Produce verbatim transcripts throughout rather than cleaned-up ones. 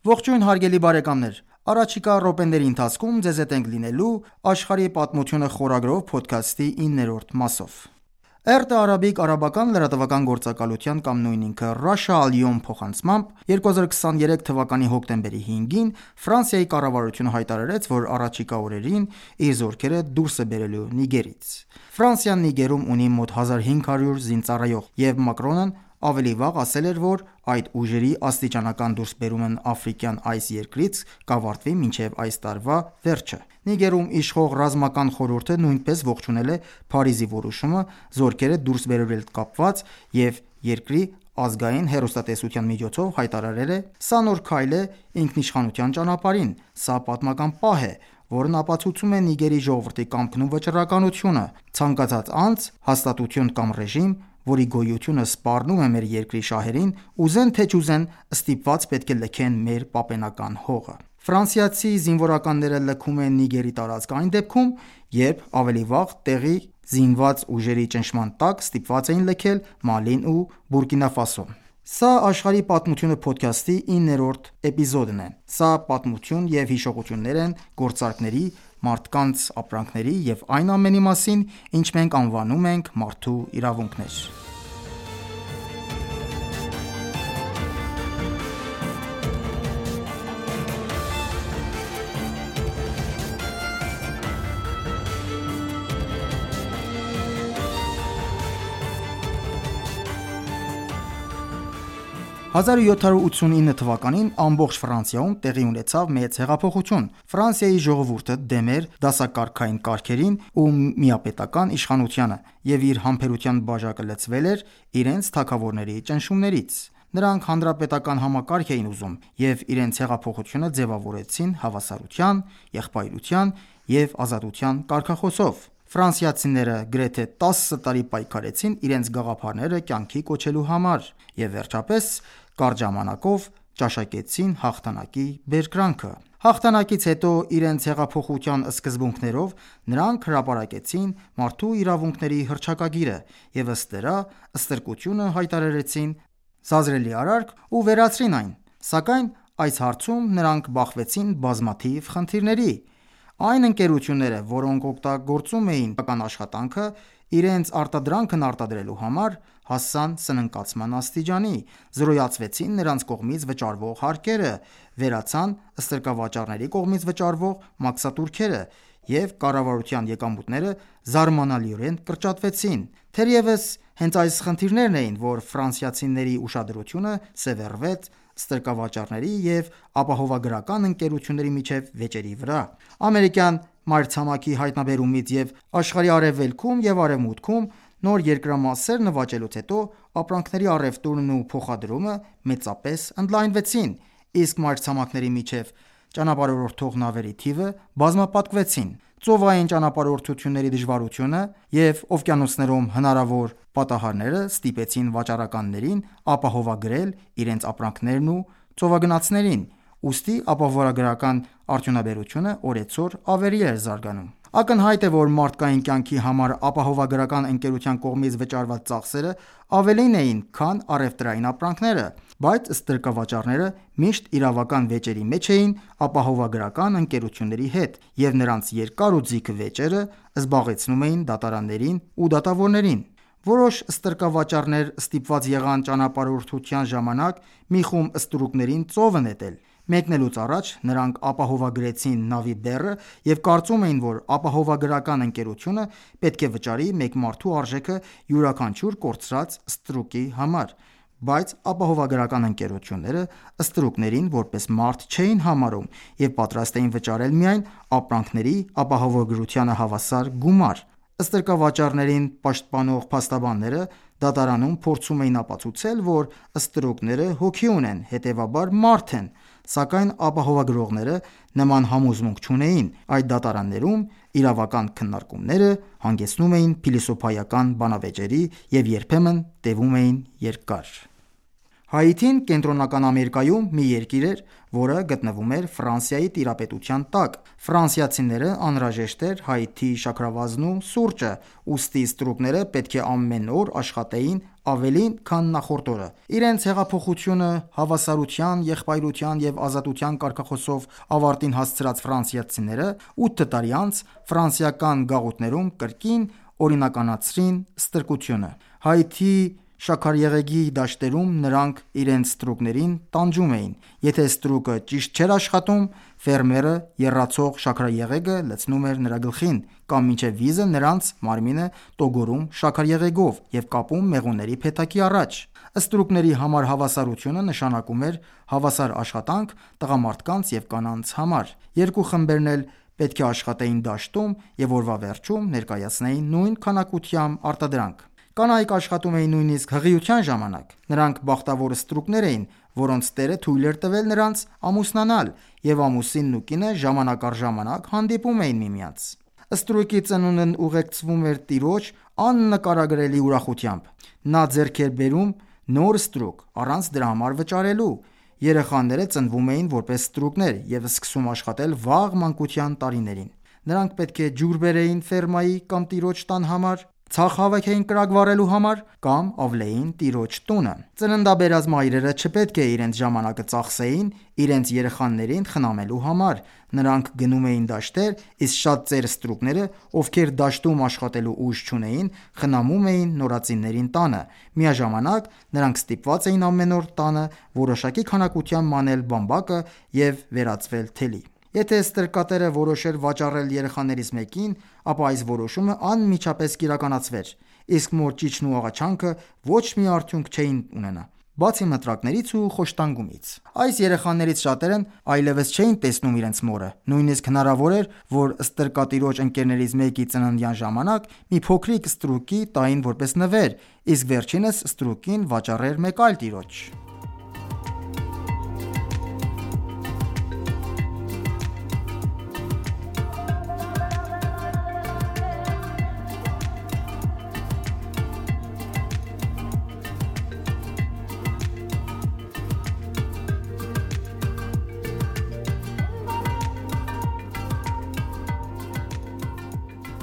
Ողջույն հարգելի բարեկամներ, առաջիկա րոպեների ընթացքում ձեզ հետ ենք լինելու «Աշխարհի պատմությունը» խորագրով փոդքասթի իններորդ մասով։ Էրտե արաբիկ արաբական լրատվական գործակալության կամ նույն ինքը Russia Al-Yom փոխանցմամբ երկու հազար քսաներեք թվականի հոկտեմբերի հինգին Ֆրանսիայի կառավարությունը հայտարարեց, որ առաջիկա օրերին իր զորքերը դուրս է բերելու Նիգերից։ Ֆրանսիան Նիգերում ունի մոտ հազար հինգ հարյուր զինծառայող, և Մակրոնն ավելի վաղ ասել էր, որ այդ ուժերի աստիճանական դուրսբերումն աֆրիկյան այս երկրից կավարտվի մինչև այս տարվա վերջը։ Նիգերում իշխող ռազմական խորհուրդը նույնպես ողջունել է Փարիզի որոշումը զորքերը դուրս բերելու հետ կապված և երկրի ազգային հեռուստատեսության միջոցով հայտարարել է. «Սա նոր քայլ է ինքնիշխանության ճանապարհին, սա պատմական պահ է, որն ապացուցում է Նիգերի ժողովրդի կամքն ու վճռականությունը։ Ցանկացած անձ, հաստատություն կամ ռեժիմ, որի գոյությունը սպառնում է մեր երկրի շահերին, ուզեն թե չուզեն, ստիպված պետք է լքեն մեր պապենական հողը»։ Ֆրանսիացի զինվորականները լքում են Նիգերի տարածքը այն դեպքում, երբ ավելի վաղ տեղի զինված ուժերի ճնշման տակ ստիպված էին լքել Մալին ու Բուրկինա Ֆասոն։ Սա «Աշխարհի պատմությունը» փոդքասթի իններորդ էպիզոդն է։ Սա պատմություն և հիշողություններ են գործարքների, մարդկանց ապրանքների և այն ամենի մասին, ինչ մենք անվանում ենք մարդու իրավունքներ։ հազար յոթ հարյուր ութսունինը թվականին ամբողջ Ֆրանսիայում տեղի ունեցավ մեծ հեղափոխություն։ Ֆրանսիայի ժողովուրդը դեմ էր դասակարգային կարգերին ու միապետական իշխանությանը և իր համբերության բաժակը լցվել էր իրենց թագավորների ճնշումներից։ Նրանք հանրապետական համակարգ էին ուզում և իրենց հեղափոխությունը ձևավորեցին հավասարության, եղբայրության և ազատության կարգախոսով։ Ֆրանսիացիները գրեթե տասը տարի պայքարեցին իրենց գաղափարները կյանքի կոչելու համար և վերջապես կարճ ժամանակով ճաշակեցին հաղթանակի բերկրանքը։ Հաղթանակից հետո իրենց հեղափոխության սկզբունքներով նրանք հրապարակեցին մարդու իրավունքների հռչակագիրը և ըստ դրա ստրկությունը հայտարարեցին սազրելի արարք ու վերացրին այն։ Սակայն այս հարցում նրանք բախվեցին բազմաթիվ խնդիրների։ Այն ընկերությունները, որոնք օգտագործում էին իրական աշխատանքը իրենց արտադրանքն արտադրելու համար, հասան սնանկացման աստիճանի, զրոյացվեցին նրանց կողմից վճարվող հարկերը, վերացան ստրկավաճառների կողմից վճարվող մաքսատուրքերը և կառավարության եկամուտները զարմանալիորեն կրճատվեցին։ Թերևս հենց այս խնդիրներն էին, որ ֆրանսիացիների ուշադրությունը սևեռվեց ստրկավաճառների և ապահովագրական ընկերությունների միջև վեճերի վրա։ Ամերիկյան մայրցամաքի հայտնաբերումից և աշխարհի արևելքում և արևմուտքում նոր երկրամասեր նվաճելուց հետո ապրանքների առևտուրն ու փոխադրումը մեծապես ընդլայնվեցին, իսկ մայրցամաքների միջև ճանապարհորդող նավերի թիվը բազմապատկվեցին։ Ծովային ճանապարհորդությունների դժվարությունը և օվկիանոսներում հնարավոր պատահարները ստիպեցին վաճառականներին ապահովագրել իրենց ապրանքներն ու ծովագնացներին, ուստի ապահովագրական արդյունաբերությունը օրեցօր ավելի էր զարգանում։ Ակնհայտ է, որ մարդկային կյանքի համար ապահովագրական ընկերության կողմից վճարված ծախսերը ավելին էին, քան առևտրային ապրանքները, բայց ստրկավաճառները միշտ իրավական վեճերի մեջ էին ապահովագրական ընկերությունների հետ, և նրանց երկար ու ձիգ վեճերը զբաղեցնում էին դատարաններին ու դատավորներին։ Որոշ ստրկավաճառներ ստիպված եղան ճանապարհորդության ժամանակ մի խումբ ստրուկներին ծովը նետել։ Մեկնելուց առաջ նրանք ապահովագրեցին նավի բեռը և կարծում էին, որ ապահովագրական ընկերությունը պետք է վճարի մեկ մարդու արժեքը յուրաքանչյուր կորցրած ստրուկի համար, բայց ապահովագրական ընկերությունները ստրուկներին որպես մարդ չէին համարում և պատրաստ էին վճարել միայն ապրանքների ապահովագրությանը հավասար գումար։ Ստրկավաճառներին պաշտպանող փաստաբանները դատարանում փորձում էին ապացուցել, որ ստրուկները հոգի ունեն, հետևաբար մարդ են, սակայն ապահովագրողները նման համոզմունք չունեին։ Այդ դատարաններում իրավական քննարկումները հանգեցնում էին փիլիսոփայական բանավեճերի և երբեմն տևում էին երկար։ Հայիթին Կենտրոնական Ամերիկայում մի երկիր էր, որը գտնվում էր Ֆրանսիայի տիրապետության տակ։ Ֆրանսիացիներին անհրաժեշտ էր Հայիթիի շաքարավազն ու սուրճը, ուստի ստրուկները պետք է ամեն օր աշխատեին ավելին, քան նախորդ օրը։ Իրենց հեղափոխությունը հավասարության, եղբայրության և ազատության կարգախոսով ավարտին հասցրած ֆրանսիացիները ութ տարի անց ֆրանսիական գաղութներում կրկին օրինականացրին ստրկությունը։ Հայիթի շաքարեղեգի դաշտերում նրանք իրենց ստրուկներին տանջում էին։ Եթե ստրուկը ճիշտ չէր աշխատում, ֆերմերը եռացող շաքարեղեգը լցնում էր նրա գլխին, կամ մինչև վիզը նրանց մարմինը տոգորում շաքարեղեգով և կապում մեղուների փեթակի առաջ։ Ստրուկների համար հավասարությունը նշանակում էր հավասար աշխատանք տղամարդկանց և կանանց համար։ Երկու խմբերն էլ պետք է աշխատեին դաշտում և օրվա վերջում ներկայացնեին նույն քանակությամբ արտադրանք։ Կանայք աշխատում էին նույնիսկ հղիության ժամանակ։ Նրանք բախտավոր ստրուկներ էին, որոնց տերը թույլ էր տվել նրանց ամուսնանալ, և ամուսինն ու կինը ժամանակ առ ժամանակ հանդիպում էին միմյանց։ Ստրուկի ծնունդն ուղեկցվում էր տիրոջ աննկարագրելի ուրախությամբ։ Նա ձեռք էր բերում նոր ստրուկ, առանց դրա համար վճարելու։ Երեխաները ծնվում էին որպես ստրուկներ և սկսում աշխատել վաղ մանկության տարիներին։ Նրանք պետք է ջուր բերեին ֆերմայի կամ տիրոջ տան համար, ցախ հավաքեին կրակ վառելու համար կամ ավլեին տիրոջ տունը։ Ծննդաբերած մայրերը չպետք է իրենց ժամանակը ծախսեին իրենց երեխաներին խնամելու համար։ Նրանք գնում էին դաշտեր, իսկ շատ ծեր ստրուկները, ովքեր դաշտում աշխատելու ուժ չունեին, խնամում էին նորածիններին տանը։ Միաժամանակ նրանք ստիպված էին ամեն օր տանը որոշակի քանակությամբ մանել բամբակը և վերածվել թելի։ Եթե ստրկատերը որոշեր վաճառել երեխաներից մեկին, ապա այս որոշումը անմիջապես կիրականացվեր, իսկ մոր ճիչն ու աղաչանքը ոչ մի արդյունք չէին ունենա, բացի մտրակներից ու խոշտանգումից։ Այս երեխաներից շատերն այլևս չէին տեսնում իրենց մորը։ Նույնիսկ հնարավոր էր, որ ստրկատիրոջ ընկերներից մեկի ծննդյան ժամանակ մի փոքրիկ ստրուկի տային որպես նվեր, իսկ վերջինս ստրուկին վաճառեր մեկ այլ տիրոջ։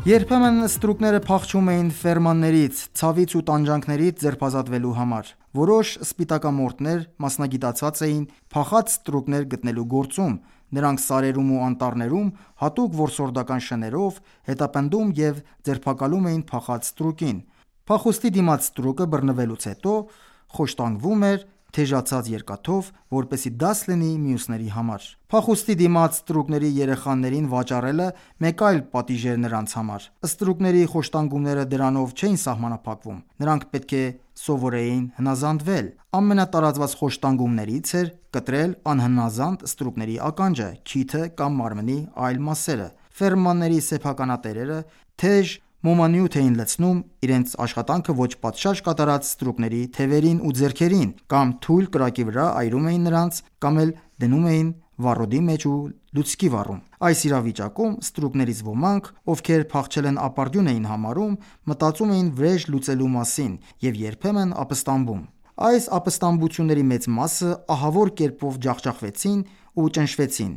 Երբեմն ստրուկները փախչում էին ֆերմաններից, ցավից ու տանջանքներից ձերբազատվելու համար։ Որոշ սպիտակամորթներ մասնագիտացած էին փախած ստրուկներ գտնելու գործում։ Նրանք սարերում ու անտառներում հատուկ որսորդական շներով հետապնդում և ձերբակալում էին փախած ստրուկին։ Փախուստի դիմաց ստրուկը բռնվելուց հետո խոշտանգվում էր թեժացած երկաթով, որպեսզի դաս լինի մյուսների համար։ Փախուստի դիմաց ստրուկների երեխաներին վաճառելը մեկ այլ պատիժ էր նրանց համար։ Ստրուկների խոշտանգումները դրանով չէին սահմանափակվում։ Նրանք պետք է սովորեին հնազանդվել։ Ամենատարածված խոշտանգումներից էր կտրել անհնազանդ ստրուկների ականջը, քիթը կամ մարմնի այլ մասերը։ Ֆերմանների սեփականատերերը թեժ մոմանյութ էին լցնում իրենց աշխատանքը ոչ պատշաճ կատարած ստրուկների թևերին ու ձեռքերին, կամ թույլ կրակի վրա այրում էին նրանց, կամ էլ դնում էին վառոդի մեջ ու լուցկի վառում։ Այս իրավիճակում ստրուկներից ոմանք, ովքեր փախչել են ապարդյուն էին համարում, մտածում էին վրեժ լուծելու մասին և երբեմն ապստամբում։ Այս ապստամբությունների մեծ մասը ահավոր կերպով ջախջախվեցին ու ճնշվեցին։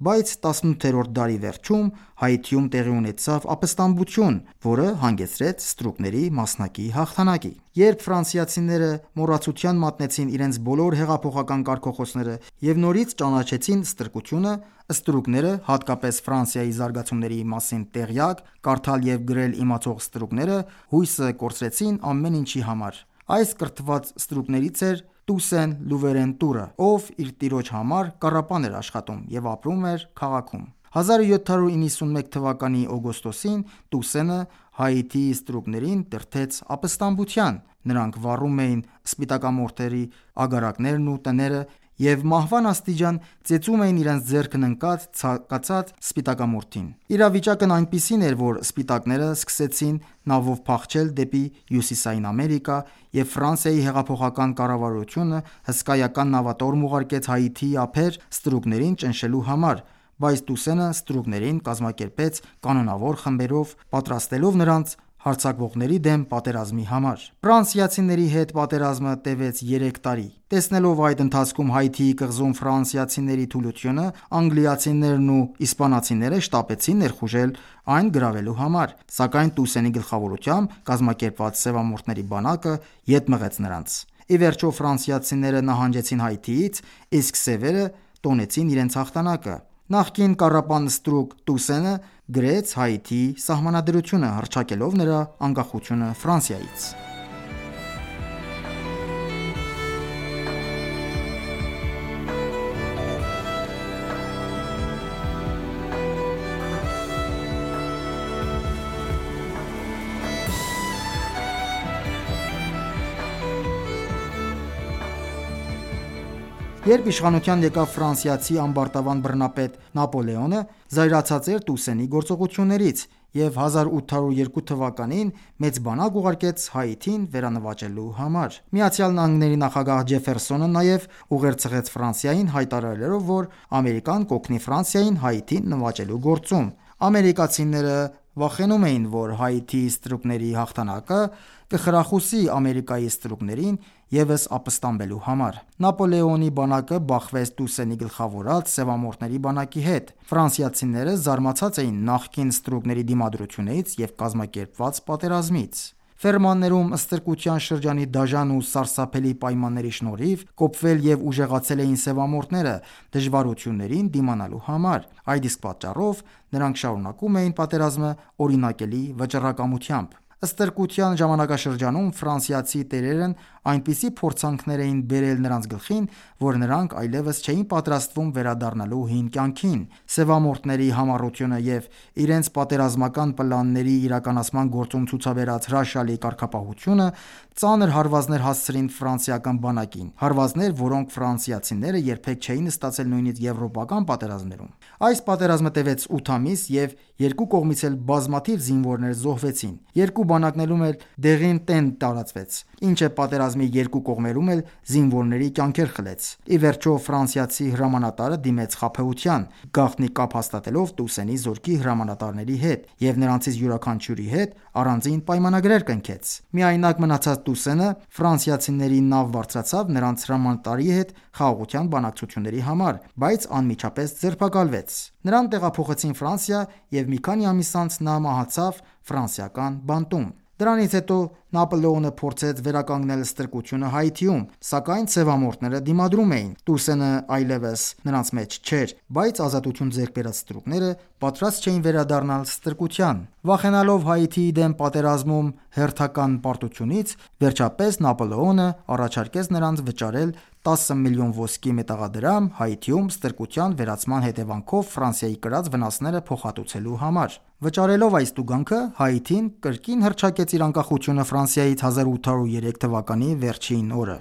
Բայց տասնութերորդ դարի վերջում Հայիթիում տեղի ունեցավ ապստամբություն, որը հանգեցրեց ստրուկների մասնակի հաղթանակի։ Երբ ֆրանսիացիները մոռացության մատնեցին իրենց բոլոր հեղափոխական կարգախոսները և նորից ճանաչեցին ստրկությունը, ստրուկները, հատկապես Ֆրանսիայի զարգացումների մասին տեղյակ, կարդալ և գրել իմացող ստրուկները, հույսը կորցրեցին ամեն ինչի համար։ Այս կրթված ստրուկներից էր Տուսեն Լուվերենտուրը, ով իր տիրոջ համար կառապան էր աշխատում և ապրում էր քաղաքում։ հազար յոթ հարյուր իննսունմեկ թվականի օգոստոսին Տուսենը Հայիթիի ստրուկներին դրդեց ապստամբության։ Նրանք վառում էին սպիտակամորթերի ագարակներն ու տները և մահվան աստիճան ծեծում էին իրենց ձեռքն ընկած ցանկացած սպիտակամորթին։ Իրավիճակն այնպիսին էր, որ սպիտակները սկսեցին նավով փախչել դեպի Հյուսիսային Ամերիկա, և Ֆրանսիայի հեղափոխական կառավարությունը հսկայական նավատորմ ուղարկեց Հայիթիի ափեր ստրուկներին ճնշելու համար, բայց Տուսենը ստրուկներին կազմակերպեց կանոնավոր խմբերով, պատրաստելով նրանց հարձակվողների դեմ պատերազմի համար։ Ֆրանսիացիների հետ պատերազմը տևեց երեք տարի։ Տեսնելով այդ ընթացքում Հայիթիի կղզում ֆրանսիացիների թուլությունը, անգլիացիներն ու իսպանացիները շտապեցին ներխուժել այն գրավելու համար, սակայն Տուսենի գլխավորությամբ կազմակերպված սևամորթների բանակը ետ մղեց նրանց։ Ի վերջո ֆրանսիացիները նահանջեցին Հայիթիից, իսկ սևերը տոնեցին իրենց հաղթանակը։ Նախկին կառապան ստրուկ Տուսենը գրեց Հայիթիի սահմանադրությունը, հռչակելով նրա անկախությունը Ֆրանսիայից։ Երբ իշխանության եկավ ֆրանսիացի ամբարտավան բռնապետ Նապոլեոնը, զայրացած էր Տուսենի գործողություններից և հազար ութ հարյուր երկու թվականին մեծ բանակ ուղարկեց Հայիթին վերանվաճելու համար։ Միացյալ Նահանգների նախագահ Ջեֆերսոնը նաև ուղերձ Ֆրանսիային, հայտարարելով, որ Ամերիկան կօգնի Ֆրանսիային Հայիթին նվաճելու գործում։ Ամերիկացիները վախենում էին, որ Հայիթիի ստրուկների հաղթանակը կխրախուսի Ամերիկայի ստրուկներին ևս ապստամբելու համար։ Նապոլեոնի բանակը բախվեց Տուսենի գլխավորած սևամորթների բանակի հետ։ Ֆրանսիացիները զարմացած էին նախկին ստրուկների դիմադրությունից և կազմակերպված պատերազմից։ Ֆերմաններում ստրկության շրջանի դաժան ու սարսափելի պայմանների շնորհիվ կոփվել և ուժեղացել էին սևամորթները դժվարություններին դիմանալու համար։ Այդ իսկ պատճառով նրանք շարունակում էին պատերազմը օրինակելի վճռակամությամբ։ Ստրկության ժամանակաշրջանում ֆրանսիացի տերերն այնպիսի փորձանքներ էին բերել նրանց գլխին, որ նրանք այլևս չէին պատրաստվում վերադառնալու հին կյանքին։ Սևամորթների համառությունը և իրենց պատերազմական պլանների իրականացման գործում ցուցաբերած հրաշալի կարգապահությունը ծանր հարվածներ հասցրին ֆրանսիական բանակին, հարվածներ, որոնք ֆրանսիացիները երբեք չէին ստացել նույնիսկ եվրոպական պատերազմներում։ Այս պատերազմը տևեց ութ ամիս և երկու կողմից էլ բազմաթիվ զինվորներ զոհվեցին։ Երկու բանակներում էլ դեղին տեն տարածվեց, ինչը պատերազմի երկու կողմերում էլ զինվորների կյանքեր խլեց։ Ի վերջո ֆրանսիացի հրամանատարը դիմեց խաբեության, գաղտնի կապ հաստատելով Տուսենի զորքի հրամանատարների հետ և նրանցից յուրաքանչյուրի հետ առանձին պայմանագրեր կնքեց։ Միայնակ մնացած Տուսենը ֆրանսիացիների նավ բարձրացավ նրանց հրամանատարի հետ խաղաղության բանակցությունների համար, բայց անմիջապես ձերբակալվեց։ Նրան տեղափոխեցին Ֆրանսիա և մի քանի ամիս անց նա մահացավ ֆրանսիական բանտում։ Դրանից հետո Նապոլեոնը փորձեց վերականգնել ստրկությունը Հայիթիում, սակայն սևամորթները դիմադրում էին։ Տուսենը այլևս նրանց մեջ չէր, բայց ազատություն ձեռք բերած ստրուկները պատրաստ չէին վերադառնալ ստրկության։ Վախենալով Հայիթիի դեմ պատերազմում հերթական պարտությունից, վերջապես Նապոլեոնը առաջարկեց նրանց վճարել տասը միլիոն ոսկի մետաղադրամ Հայիթիում ստրկության վերացման հետևանքով Ֆրանսիայի կրած վնասները փոխհատուցելու համար։ Վճարելով այս տուգանքը, Հայիթին կրկին հռչակեց իր անկախությունը Ֆրանսիայից հազար ութ հարյուր երեք թվականի վերջին օրը։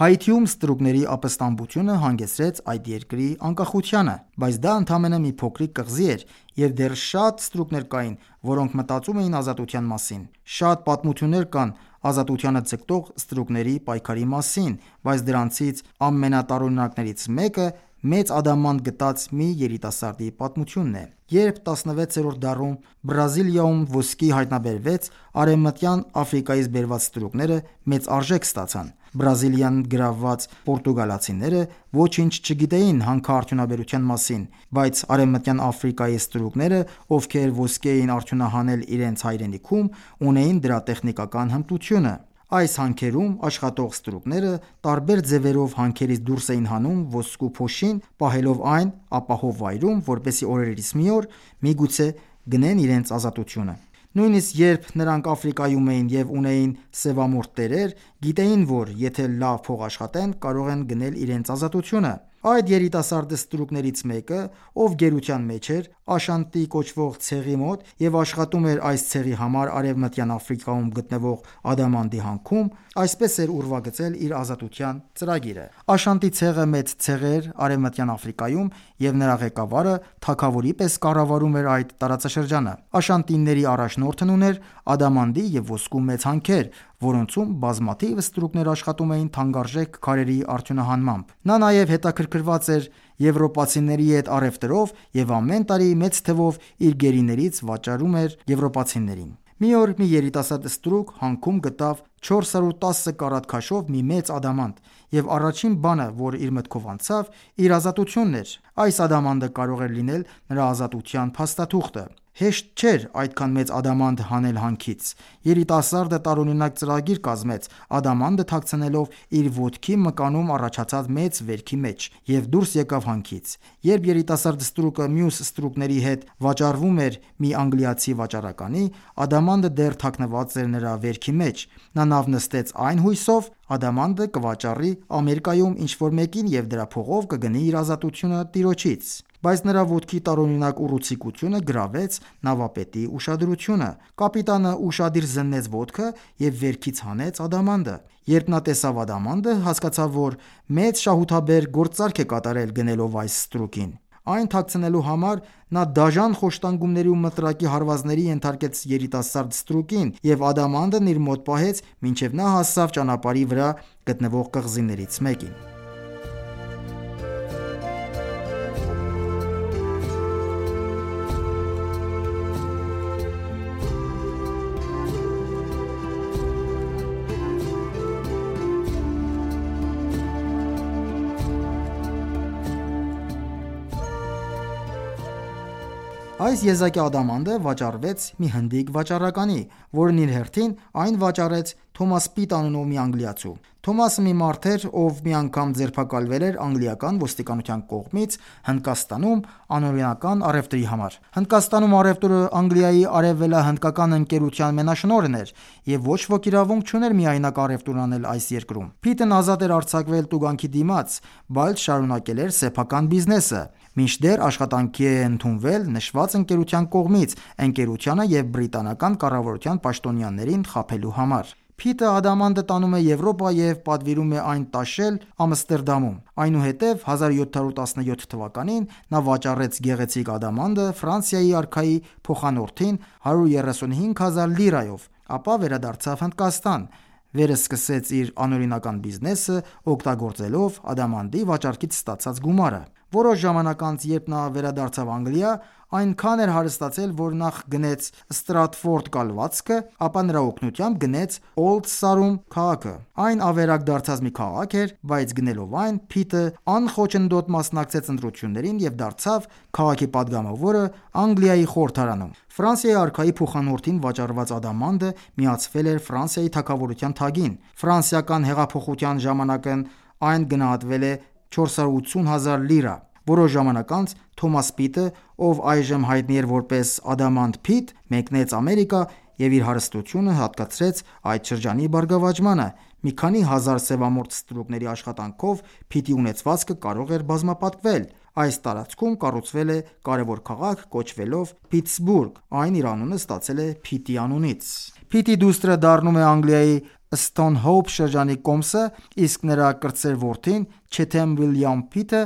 Հայիթիում ստրուկների ապստամբությունը հանգեցրեց այդ երկրի անկախությանը, բայց դա ընդամենը մի փոքրիկ կղզի էր, և դեռ շատ ստրուկներ կային, որոնք մտածում էին ազատության մասին։ Շատ պատմություններ կան ազատությանը ձգտող ստրուկների պայքարի մասին, բայց դրանցից ամենատարօրինակներից մեկը մեծ ադամանդ գտած մի երիտասարդի պատմությունն է։ Երբ տասնվեցերորդ դարում Բրազիլիայում ոսկի հայտնաբերվեց, Արևմտյան Աֆրիկայից բերված ստրուկները մեծ արժեք ստացան։ Բրազիլիան գրավված պորտուգալացիները ոչինչ չգիտեին հանքարդյունաբերության մասին, բայց Արևմտյան Աֆրիկայի ստրուկները, ովքեր ոսկի էին արդյունահանել իրենց հայրենիքում, ունեին դրա տեխնիկական հմտությունը։ Այս հանքերում աշխատող ստրուկները տարբեր ձևերով հանքերից դուրս էին հանում ոսկու փոշին, պահելով այն ապահով վայրում, որպեսզի օրերից մի օր միգուցե գնեն իրենց ազատությունը։ Նույնիսկ երբ նրանք Աֆրիկայում էին և ունեին սևամորթ տերեր, գիտեին, որ եթե լավ փող աշխատեն, կարող են գնել իրենց ազատությունը։ Այդ երիտասարդ ստրուկներից մեկը, ով գերության մեջ էր, Աշանտի կոչվող ցեղի մոտ և աշխատում էր այս ցեղի համար Արևմտյան Աֆրիկայում գտնվող ադամանդի հանքում, այսպես էր ուրվագծել իր ազատության ծրագիրը։ Աշանտի ցեղը մեծ ցեղ էր Արևմտյան Աֆրիկայում, և նրա ղեկավարը թագավորի պես կառավարում էր այդ տարածաշրջանը։ Աշանտիների առաջնորդն ուներ ադամանդի և ոսկու մեծ հանքեր, որոնցում բազմաթիվ ստրուկներ աշխատում էին թանկարժեք քարերի արդյունահանմամբ։ Նա նաև հետաքրքրված էր եվրոպացիների հետ առևտրով և ամեն տարի մեծ թվով իր գերիներից վաճառում էր եվրոպացիներին։ Մի օր մի երիտասարդ ստրուկ հանքում գտավ չորս հարյուր տասը կարատ քաշով մի մեծ ադամանդ, և առաջին բանը, որ իր մտքով անցավ, իր ազատությունն էր։ Այս ադամանդը կարող էր լինել նրա ազատության փաստաթուղթը։ Հեշտ չէր այդքան մեծ ադամանդ հանել հանքից։ Երիտասարդը տարօրինակ ծրագիր կազմեց, ադամանդը թաքցնելով իր ոտքի մկանում առաջացած մեծ վերքի մեջ, և դուրս եկավ հանքից։ Երբ երիտասարդ ստրուկը մյուս ստրուկների հետ վաճառվում էր մի անգլիացի վաճառականի, ադամանդը դեռ թաքնված էր նրա վերքի մեջ։ Նա նավ նստեց այն հույսով ադամանդը կվաճառի Ամերիկայում ինչ-որ մեկին և դրա փողով կգնի իր ազատությունը տիրոջից։ Բայց նրա ոտքի տարօրինակ ուռուցիկությունը գրավեց նավապետի ուշադրությունը։ Կապիտանը ուշադիր զննեց ոտքը և վերքից հանեց ադամանդը։ Երբ նա տեսավ ադամանդը, հասկացավ, որ մեծ շահութաբեր գործարք է կատարել գնելով այս ստրուկին։ Այն թաքցնելու համար նա դաժան խոշտանգումների ու մտրակի հարվածների ենթարկեց երիտասարդ ստրուկին և ադամանդն իր մոտ պահեց, մինչև նա հասավ ճանապարհի վրա գտնվող կղզիներից մեկին։ Այս եզակի ադամանդը վաճառվեց մի հնդիկ վաճառականի, որն իր հերթին այն վաճառեց Թոմաս Պիտ անունով մի անգլիացու։ Թոմասը մի մարդ էր, ով մի անգամ ձերբակալվել էր անգլիական ոստիկանության կողմից Հնդկաստանում անօրինական առևտրի համար։ Հնդկաստանում առևտուրը Անգլիայի արևելահնդկական ընկերության մենաշնորհն էր, և ոչ ոք իրավունք չուներ միայնակ առևտուր անել այս երկրում։ Փիթն ազատ էր արձակվել տուգանքի դիմաց, բայց շարունակել էր սեփական բիզնեսը, մինչդեռ աշխատանքի է ընդունվել նշված ընկերության կողմից ընկերությանը և բրիտանական կառավարության պաշտոնյաներին խաբելու համար։ Փիթը ադամանդը տանում է Եվրոպա և պատվիրում է այն տաշել Ամստերդամում։ Այնուհետև հազար յոթ հարյուր տասնյոթ թվականին նա վաճառեց գեղեցիկ ադամանդը Ֆրանսիայի արքայի փոխանորդին հարյուր երեսունհինգ հազար լիրայով, ապա վերադարձավ Հնդկաստան, վերսկսեց իր անօրինական բիզնեսը, օգտագործելով ադամանդի վաճառքից ստացած գումարը։ Որոշ ժամանակ անց, երբ նա վերադարձավ Անգլիա, այնքան էր հարստացել, որ նախ գնեց Ստրատֆորդ կալվածքը, ապա նրա օգնությամբ գնեց Օլդ Սարում քաղաքը։ Այն ավերակ դարձած մի քաղաք էր, բայց գնելով այն, Փիթը անխոչնդոտ մասնակցեց ընտրություններին և դարձավ քաղաքի պատգամավորը Անգլիայի խորհրդարանում։ Ֆրանսիայի արքայի փոխանորդին վաճառված ադամանդը միացվել էր Ֆրանսիայի թագավորության թագին։ Ֆրանսիական հեղափոխության ժամանակն այն գնահատվել է չորս հարյուր ութսուն հազար լիրա։ Որոշ ժամանակ անց Թոմաս Պիտը, ով այժմ հայտնի էր որպես Ադամանդ Փիթ, մեկնեց Ամերիկա և իր հարստությունը հատկացրեց այդ շրջանի բարգավաճմանը։ Մի քանի հազար սևամորթ ստրուկների աշխատանքով Փիթի ունեցվածքը կարող էր բազմապատկվել։ Այս տարածքում կառուցվել է կարևոր քաղաք կոչվելով Փիթսբուրգ, այն իր անունը ստացել է Փիթի անունից։ Փիթի դուստրը դառնում է Անգլիայի Սթոնհոուփ շրջանի կոմսը, իսկ նրա կրտսեր որդին Չեթեմ Վիլյամ Փիթը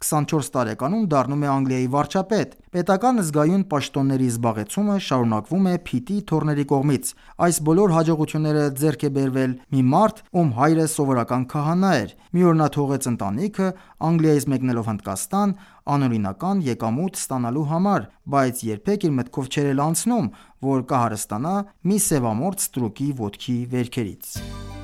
քսանչորս տարեկանում դառնում է Անգլիայի վարչապետ։ Պետական զգայուն պաշտոնների զբաղեցումը շարունակվում է Փիթի թոռների կողմից։ Այս բոլոր հաջողությունները ձեռք է բերվել մի մարդ, ում հայրը սովորական քահանա էր։ Մի օր նա թողեց ընտանիքը Անգլիայից մեկնելով Հնդկաստան անօրինական եկամուտ ստանալու համար, բայց երբեք իր մտքով չէր էլ անցնում, որ կհարստանա մի սևամորթ ստրուկի ոտքի վերքերից։